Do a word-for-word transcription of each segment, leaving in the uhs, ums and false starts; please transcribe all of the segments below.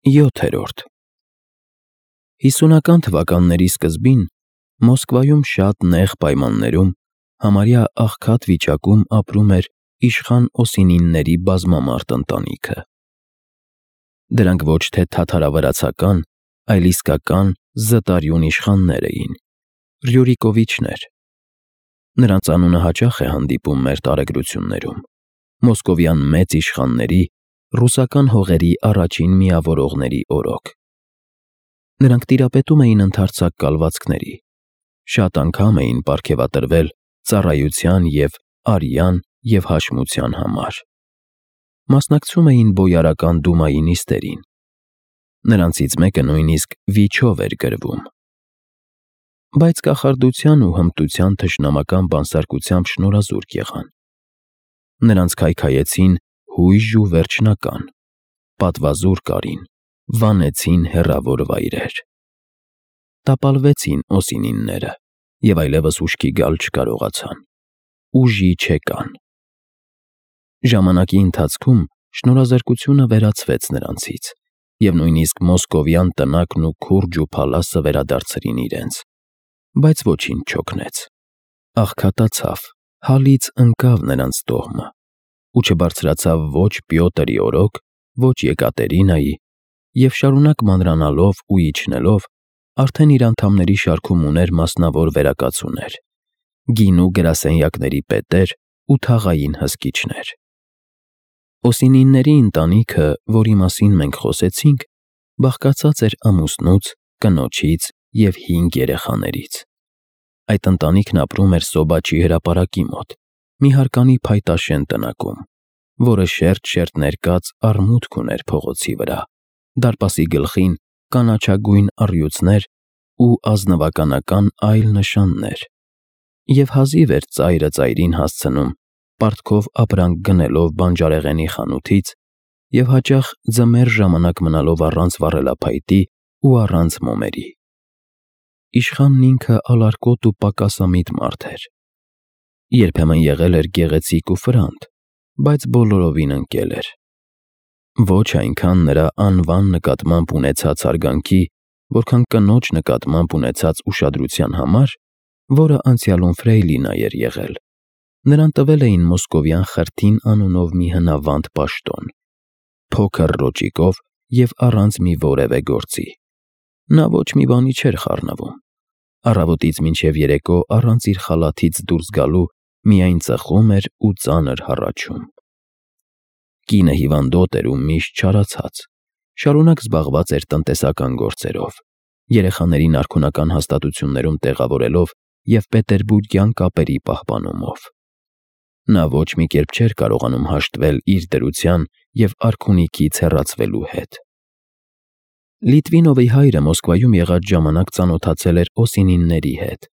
յոթերորդ Հիսունական թվականների սկզբին Մոսկվայում շատ նեղ պայմաններում, համարյա աղքատ վիճակում ապրում էր իշխան Օսինինների բազմամարդ ընտանիքը։ Դրանք ոչ թե թաթարավրացական, այլ իսկական զտարյուն իշխաններ էին, Ռյուրիկովիչներ։ Նրանց անունը հաճախ է հանդիպում մեր տարեգրություններում, մոսկովյան մեծ իշխանների, ռուսական հողերի առաջին միավորողների օրոք։ Նրանք տիրապետում էին ընդարձակ կալվածքների, շատ անգամ էին պարգևատրվել ծառայության և արյան և հաշմության համար։ Մասնակցում էին բոյարական դումայի նիստերին։ Նրանցից մեկը նույնիսկ վիչով էր գրվում։ Բայց կախարդության ու հմտության թշնամական բանսարկությամբ շնորհազուրկ եղան։ Նրանց քայքայեցին հույժ ու վերջնական, պատվազուր կարին, վանեցին հեռավոր վայրեր։ Տապալվեցին Օսինինները և այլևս ուշքի գալ չկարողացան, ուժի չեկան։ Ժամանակի ընթացքում շնորհազարկությունը վերացվեց նրանցից, և նույնիսկ մոսկովյան տնակն ու քուրջն ու փալասը վերադարձրին իրենց, բայց ոչինչ չօգնեց։ Աղքատացավ, հալից ընկավ նրանց տոհմը ու չբարձրացավ ոչ Պյոտրի օրոք, ոչ Եկատերինայի, և շարունակ մանրանալով ու իջնելով, արդեն իր անդամների շարքում ուներ մասնավոր վերակացուներ, գինու գրասենյակների պետեր ու թաղային հսկիչներ։ Օսինինների ընտանիքը, որի մասին մենք խոսեցինք, բաղկացած էր ամուսնուց, կնոջից և հինգ երեխաներից։ Այդ ընտանիքն ապրում էր Սոբաչի հրապարակի մոտ, մի հարկանի փայտաշեն տնակում, որը շերտ-շերտ ներկած արմունկ ուներ փողոցի վրա, դարպասի գլխին կանաչագույն առյուծներ ու ազնվականական այլ նշաններ, և հազիվ էր ծայրը ծայրին հասցնում պարտքով ապրանք գնելով բանջարեղենի խանութից և հաճախ ձմեռ ժամանակ մնալով առանց վառելափայտի ու առանց մոմերի։ Իշխանն ինքը ալարկոտ ու պակասամիտ մարդ էր։ Երբեմն եղել էր գեղեցիկ ու ֆրանտ, բայց բոլորովին ընկել էր։ Ոչ այնքան նրա անվան նկատմամբ ունեցած հարգանքի, որքան կնոջ նկատմամբ ունեցած ուշադրության համար, որը անցյալում ֆրեյլինա էր եղել, նրան տվել էին մոսկովյան Խրթին անունով մի հնավանդ պաշտոն, փոքր ռոճիկով և առանց մի որևէ գործի։ Նա ոչ մի բանի չէր խառնվում, առավոտից մինչև երեկո առանց իր խալաթից դուրս գալու միայն ծխում էր ու ծանր հառաչում։ Կինը հիվանդոտ էր ու միշտ չարացած, շարունակ զբաղված էր տնտեսական գործերով, երեխաներին արքունական հաստատություններում տեղավորելով և պետերբուրգյան կապերի պահպանումով։ Նա ոչ մի կերպ չէր կարողանում հաշտվել իր դրության և արքունիքից հեռացվելու հետ։ Լիտվինովի հայրը Մոսկվայում եղած ժամանակ ծանոթացել էր Օսինինների հետ,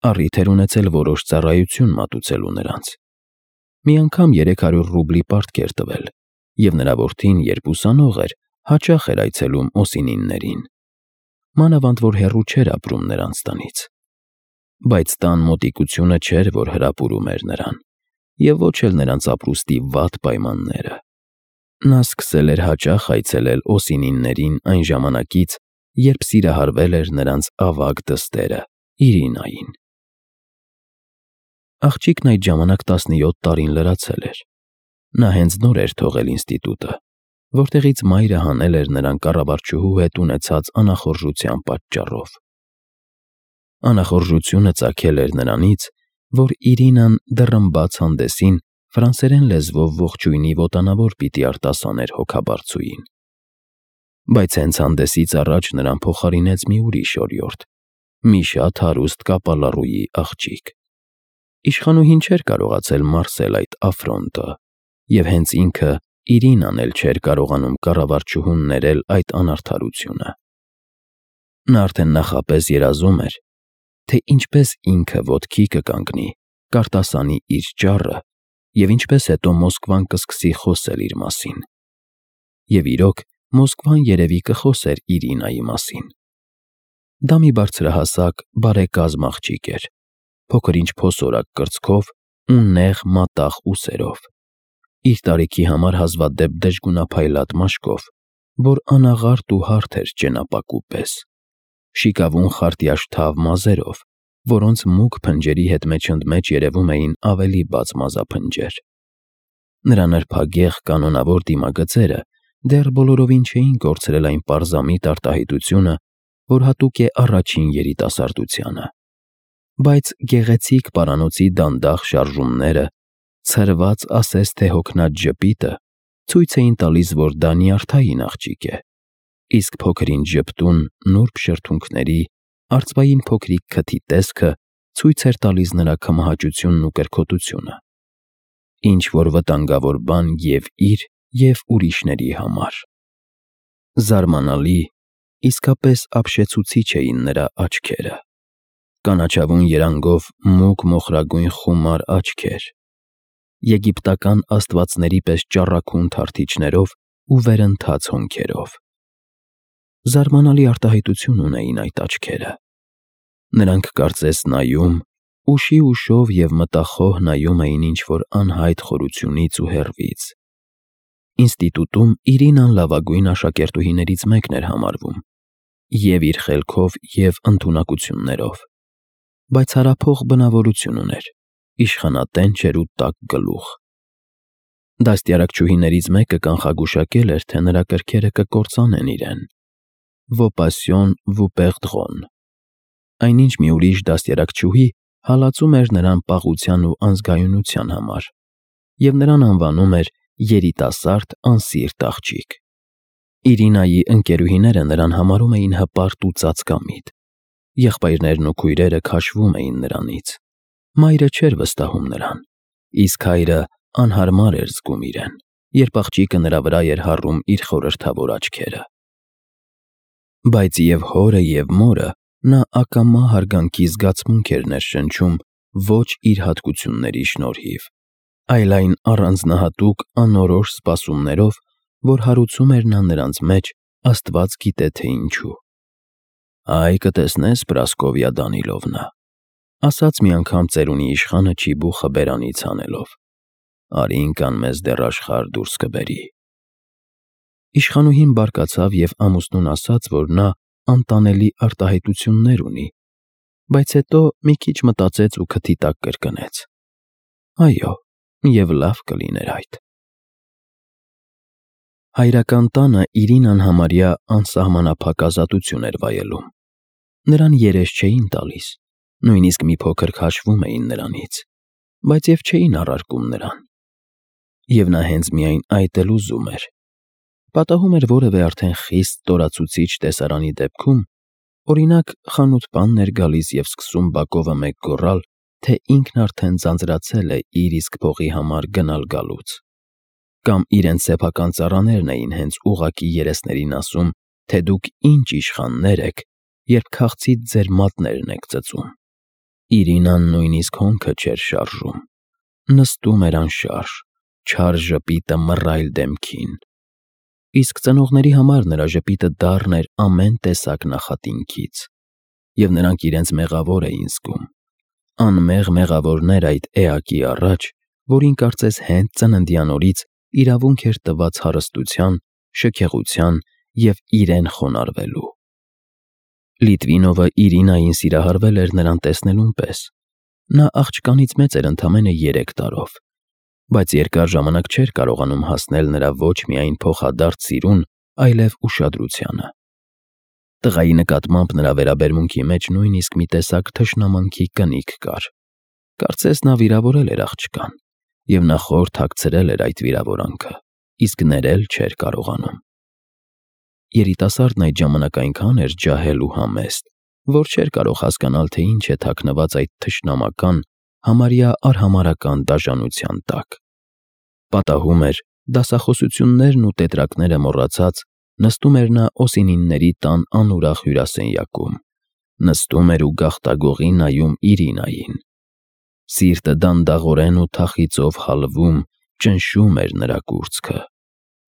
առիթ էր ունեցել որոշ ծառայություն մատուցելու նրանց։ Մի անգամ երեք հարյուր ռուբլի պարտք էր տվել, և նրա որդին, երբ ուսանող էր, հաճախ էր այցելում Օսինիններին, մանավանդ որ հեռու չէր ապրում նրանց տնից։ Բայց տան մոտիկությունը չէր, որ հրապուրում էր նրան, և ոչ էլ նրանց ապրուստի վատ պայմանները։ Նա սկսել էր հաճախ այցելել Օսինիններին այն ժամանակից, երբ սիրահարվել էր նրանց ավագ դստերը՝ Իրինային։ Աղջիկն այդ ժամանակ տասնյոթ տարին լրացել էր։ Նա հենց նոր էր թողել ինստիտուտը, որտեղից մայրը հանել էր նրան կառավարչուհու հետ ունեցած անախորժության պատճառով։ Անախորժությունը ծագել էր նրանից, որ Իրինան դռնբաց հանդեսին ֆրանսերեն լեզվով ողջույնի ոտանավոր պիտի արտասաներ հոգաբարձուին։ Բայց հենց հանդեսից առաջ նրան փոխարինեց մի ուրիշ օրիորդ՝ մի շատ հարուստ կապալառուի աղջիկ։ Իշխանուհին չէր կարողացել մարսել այդ աֆրոնտը, և հենց ինքը Իրինան էլ չէր կարողանում կառավարչուհուն ներել այդ անարդարությունը։ Նա արդեն նախապես երազում էր, թե ինչպես ինքը ոտքի կկանգնի, կարտասանի իր ճառը և ինչպես հետո Մոսկվան կսկսի խոսել իր մասին։ Եվ իրոք, Մոսկվան երևի կխոսեր Իրինայի մասին։ Դա մի բարձրահասակ, բարեկազմ աղջիկ էր, փոքր-ինչ փոսորակ կրծքով ու նեղ մատաղ ուսերով, իր տարիքի համար հազվադեպ դժգունափայլատ մաշկով որ անաղարտ ու հարթ էր ճենապակու պես, շիկավուն խարտյաշթավ մազերով, որոնց մուգ փնջերի հետ մեջընդմեջ երևում էին ավելի բաց մազափնջեր։ Նրա նրբագեղ կանոնավոր դիմագծերը դեռ բոլորովին չէին կորցրել այն պարզամիտ արտահայտությունը, որ հատուկ է առաջին երիտասարդությանը, բայց գեղեցիկ պարանոցի դանդաղ շարժումները, ցրված ասես թե հոգնած ժպիտը ցույց էին տալիս, որ դա նյարդային աղջիկ է, իսկ փոքրինչ ժպտուն նուրբ շրթունքների, արծվային փոքրիկ քթի տեսքը ցույց էր տալիս նրա քմահաճությունն ու կրքոտությունը, ինչ-որ վտանգավոր բան և իր, և ուրիշների համար։ Զարմանալի, իսկապես ապշեցուցիչ էին նրա աչքերը, կանաչավուն երանգով մուգ մոխրագույն խումար աչքեր, եգիպտական աստվածների պես ճառագուն թարթիչներով ու վերընթաց հոնքերով։ Զարմանալի արտահայտություն ունեին այդ աչքերը։ Նրանք կարծես նայում, ուշի ուշով և մտախոհ նայում էին ինչ-որ անհայտ խորությունից ու հեռվից։ Ինստիտուտում Իրինան լավագույն աշակերտուհիներից մեկն էր համարվում, և իր խելքով և ընդունակություններով, բայց հարափող բնավորություն ուներ, իշխանատենչ էր ու տաք գլուխ։ Դաստիարակչուհիներից մեկը կանխագուշակել էր, թե նրա կրքերը կկործանեն իրեն (vocation vous perdront)։ Այնինչ մի ուրիշ դաստիարակչուհի հալածում էր նրան պաղության ու անզգայունության համար և նրան անվանում էր երիտասարդ անսիրտ աղջիկ։ Իրինայի ընկերուհիները նրան համարում էին հպարտ ու ծածկամիտ, եղբայրներն ու քույրերը քաշվում էին նրանից, մայրը չէր վստահում նրան, իսկ հայրը անհարմար էր զգում իրեն, երբ աղջիկը նրա վրա էր հառում իր խորհրդավոր աչքերը։ Բայց և հորը, և մորը նա ակամա հարգանքի զգացմունք էր ներշնչում ոչ իր հատկությունների շնորհիվ, այլ այն առանձնահատուկ անորոշ սպասումներով, որ հարուցում էր նա նրանց մեջ, աստված գիտե թե ինչու։ «Այ կտեսնես, Պրասկովյա Դանիլովնա», ասաց մի անգամ ծերունի իշխանը չիբուխը բերանից հանելով, «արի ընկան մեզ դեռ աշխարհ դուրս կբերի»։ Իշխանուհին բարկացավ և ամուսնուն ասաց, որ նա անտանելի արտահայտություններ ունի, բայց հետո մի քիչ մտածեց ու քթի տակ կրկնեց. «Այո, և լավ կլիներ այդ»։ Հայրական տանը Իրինան համարյա անսահմանափակ ազատություն էր վայելում։ Նրան երես չէին տալիս, նույնիսկ մի փոքր քաշվում էին նրանից, բայց և չէին առարկում նրան։ Եվ նա հենց միայն այդ էլ ուզում էր։ Պատահում էր որևէ արդեն խիստ ստորացուցիչ տեսարանի դեպքում, օրինակ, խանութ֊պանն էր գալիս և սկսում բակովը մեկ գոռալ, թե ինքն արդեն ձանձրացել է իր իսկ փողի համար գնալ֊գալուց, կամ իրենց սեփական ծառաներն էին հենց ուղղակի երեսներին ասում, թե դուք ինչ իշխաններ եք, երբ քաղցից ձեր մատներն եք ծծում, Իրինան նույնիսկ հոնքը չէր շարժում, նստում էր անշարժ, չար ժպիտը մռայլ դեմքին, իսկ ծնողների համար նրա ժպիտը դառն էր ամեն տեսակ նախատինքից, և նրանք իրենց մեղավոր էին զգում, անմեղ մեղավորներ այդ էակի առաջ, որին կարծես հենց ծննդյան օրից իրավունք էր տված հարստության, շքեղության և իրեն խոնարհվելու։ Լիտվինովը Իրինային սիրահարվել էր նրան տեսնելուն պես։ Նա աղջկանից մեծ էր ընդամենը երեք տարով, բայց երկար ժամանակ չէր կարողանում հասնել նրա ոչ միայն փոխադարձ սիրուն, այլև ուշադրությանը։ Տղայի նկատմամբ նրա վերաբերմունքի մեջ նույնիսկ մի տեսակ թշնամանքի կնիք կար։ Կարծես նա վիրավորել էր աղջկան, և նա խոր թաքցրել էր այդ վիրավորանքը, իսկ ներել չէր կարողանում։ Երիտասարդն այդ ժամանակ այնքան էր ջահել ու համեստ, որ չէր կարող հասկանալ, թե ինչ է թաքնված այդ թշնամական, համարյա արհամարհական դաժանության տակ։ Պատահում էր, դասախոսություններն ու տետրակները մոռացած, նստում էր նա Օսինինների տան անուրախ հյուրասենյակում, նստում էր ու գաղտագողի նայում Իրինային։ Սիրտը դանդաղորեն ու թախիծով հալվում, ճնշում էր նրա կուրծքը,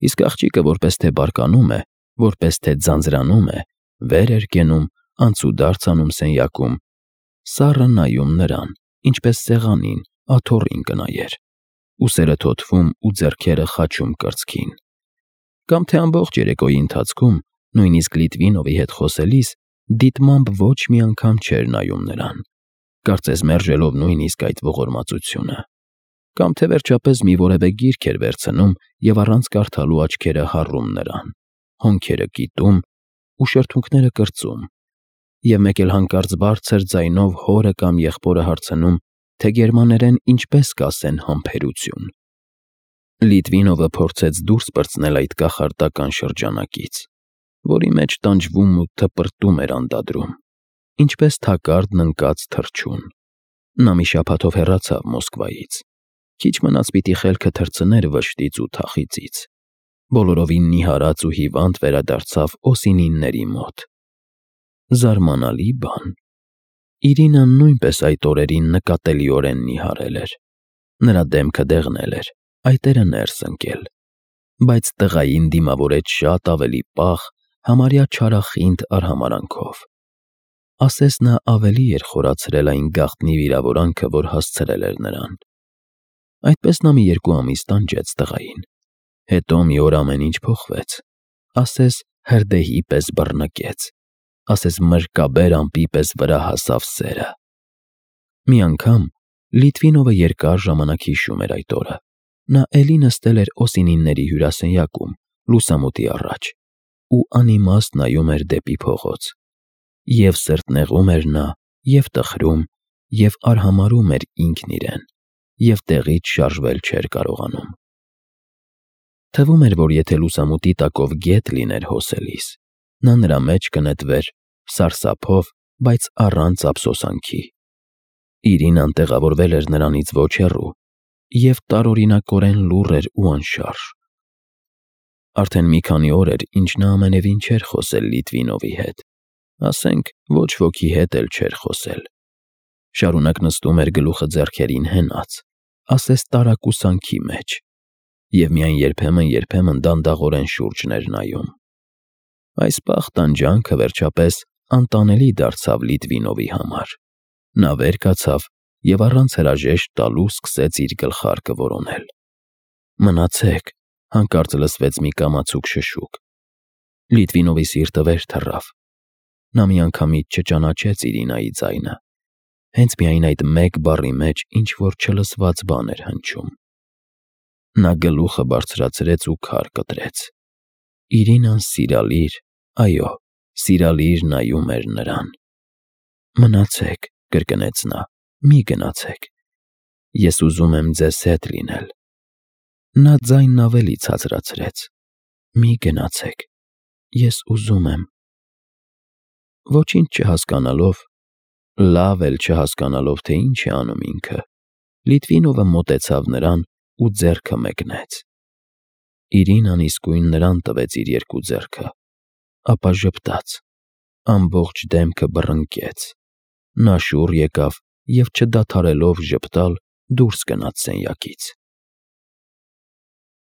իսկ աղջիկը որպես թե բարկանում է, որպես թե ձանձրանում է, վեր էր կենում, անցուդարձ անում սենյակում, սառը նայում նրան, ինչպես սեղանին, աթոռին կնայեր, ուսերը թոթվում ու ձեռքերը խաչում կրծքին։ Կամ թե ամբողջ երեկոյի ընթացքում, նույնիսկ Լիտվինովի հետ խոսելիս, դիտմամբ ոչ մի անգամ չէր նայում նրան, կարծես մերժելով նույնիսկ այդ ողորմածությունը, կամ թե վերջապես մի որևէ գիրք էր վերցնում և առանց կարդալու աչքերը հառում նրան, հոնքերը կիտում ու շրթունքները կրծում, և մեկ էլ հանկարծ բարձր ձայնով հորը կամ եղբորը հարցնում, թե գերմաներեն ինչպես կասեն համբերություն։ Լիտվինովը փորձեց դուրս պրծնել այդ կախարդական շրջանակից, որի մեջ տանջվում ու թպրտում էր անդադրում, ինչպես թակարդն ընկած թռչուն։ Նա մի շաբաթով հեռացավ Մոսկվայից, քիչ մնաց պիտի խելքը թռցներ վշտից ու թախիծից, բոլորովին նիհարած ու հիվանդ վերադարձավ Օսինինների մոտ։ Զարմանալի բան։ Իրինան նույնպես այդ օրերին նկատելիորեն նիհարել էր, նրա դեմքը դեղնել էր, այտերը ներս ընկել, բայց տղային դիմավորեց շատ ավելի պաղ, համարյա չարախինդ արհամարհանքով։ Ասես նա ավելի էր խորացրել այն գաղտնի վիրավորանքը, որ հասցրել էր նրան։ Այդպես նա մի երկու ամիս տանջեց տղային, հետո մի օր ամեն ինչ փոխվեց, ասես հրդեհի պես բռնկեց, ասես մրրկաբեր ամպի պես վրա հասավ սերը։ Մի անգամ Լիտվինովը երկար ժամանակ հիշում էր այդ օրը։ Նա էլի նստել էր Օսինինների հյուրասենյակում, լուսամուտի առաջ, ու անիմաստ նայում էր դեպի փողոց։ Եվ սրտնեղում էր նա, և տխրում, և արհամարհում էր ինքն իրեն, և տեղից շարժվել չէր կարողանում։ Թվում էր, որ եթե լուսամուտի տակով գետ լիներ հոսելիս, նա նրա մեջ կնետվեր սարսափով, բայց առանց ափսոսանքի։ Իրինան տեղավորվել էր նրանից ոչ հեռու և տարօրինակորեն լուռ էր ու անշարժ։ Արդեն մի քանի օր էր, ինչ նա ամենևին չէր խոսել Լիտվինովի հետ, ասենք ոչ ոքի հետ էլ չէր խոսել։ Շարունակ նստում էր գլուխը ձեռքերին հենած, ասես տարակուսանքի մեջ, և միայն երբեմն-երբեմն դանդաղորեն շուրջն էր նայում։ Այս պաղ տանջանքը վերջապես անտանելի դարձավ Լիտվինովի համար։ Նա վեր կացավ և առանց հրաժեշտ տալու սկսեց իր գլխարկը որոնել։ «Մնացեք», հանկարծ լսվեց մի կամացուկ շշուկ։ Լիտվինովի սիրտը վեր թռավ։ Նա միանգամից չճանաչեց Իրինայի ձայնը, հենց միայն այդ մեկ բառի մեջ ինչ-որ չլսված բան էր հնչում։ Նա գլուխը բարձրացրեց ու քար կտրեց։ Իրինան սիրալիր, այո, սիրալիր նայում էր նրան։ «Մնացեք», կրկնեց նա, «մի գնացեք։ Ես ուզում եմ ձեզ հետ լինել»։ Նա ձայնն ավելի ցածրացրեց։ «Մի գնացեք, ես ուզում եմ»։ Ոչինչ չհասկանալով, լավ էլ չհասկանալով, թե ինչ է անում ինքը, Լիտվինովը մոտեցավ նրան ու ձեռքը մեկնեց։ Իրինան իսկույն նրան տվեց իր երկու ձեռքը, ապա ժպտաց, ամբողջ դեմքը բռնկեց։ Նա շուռ եկավ և չդադարելով ժպտալ դուրս գնաց սենյակից։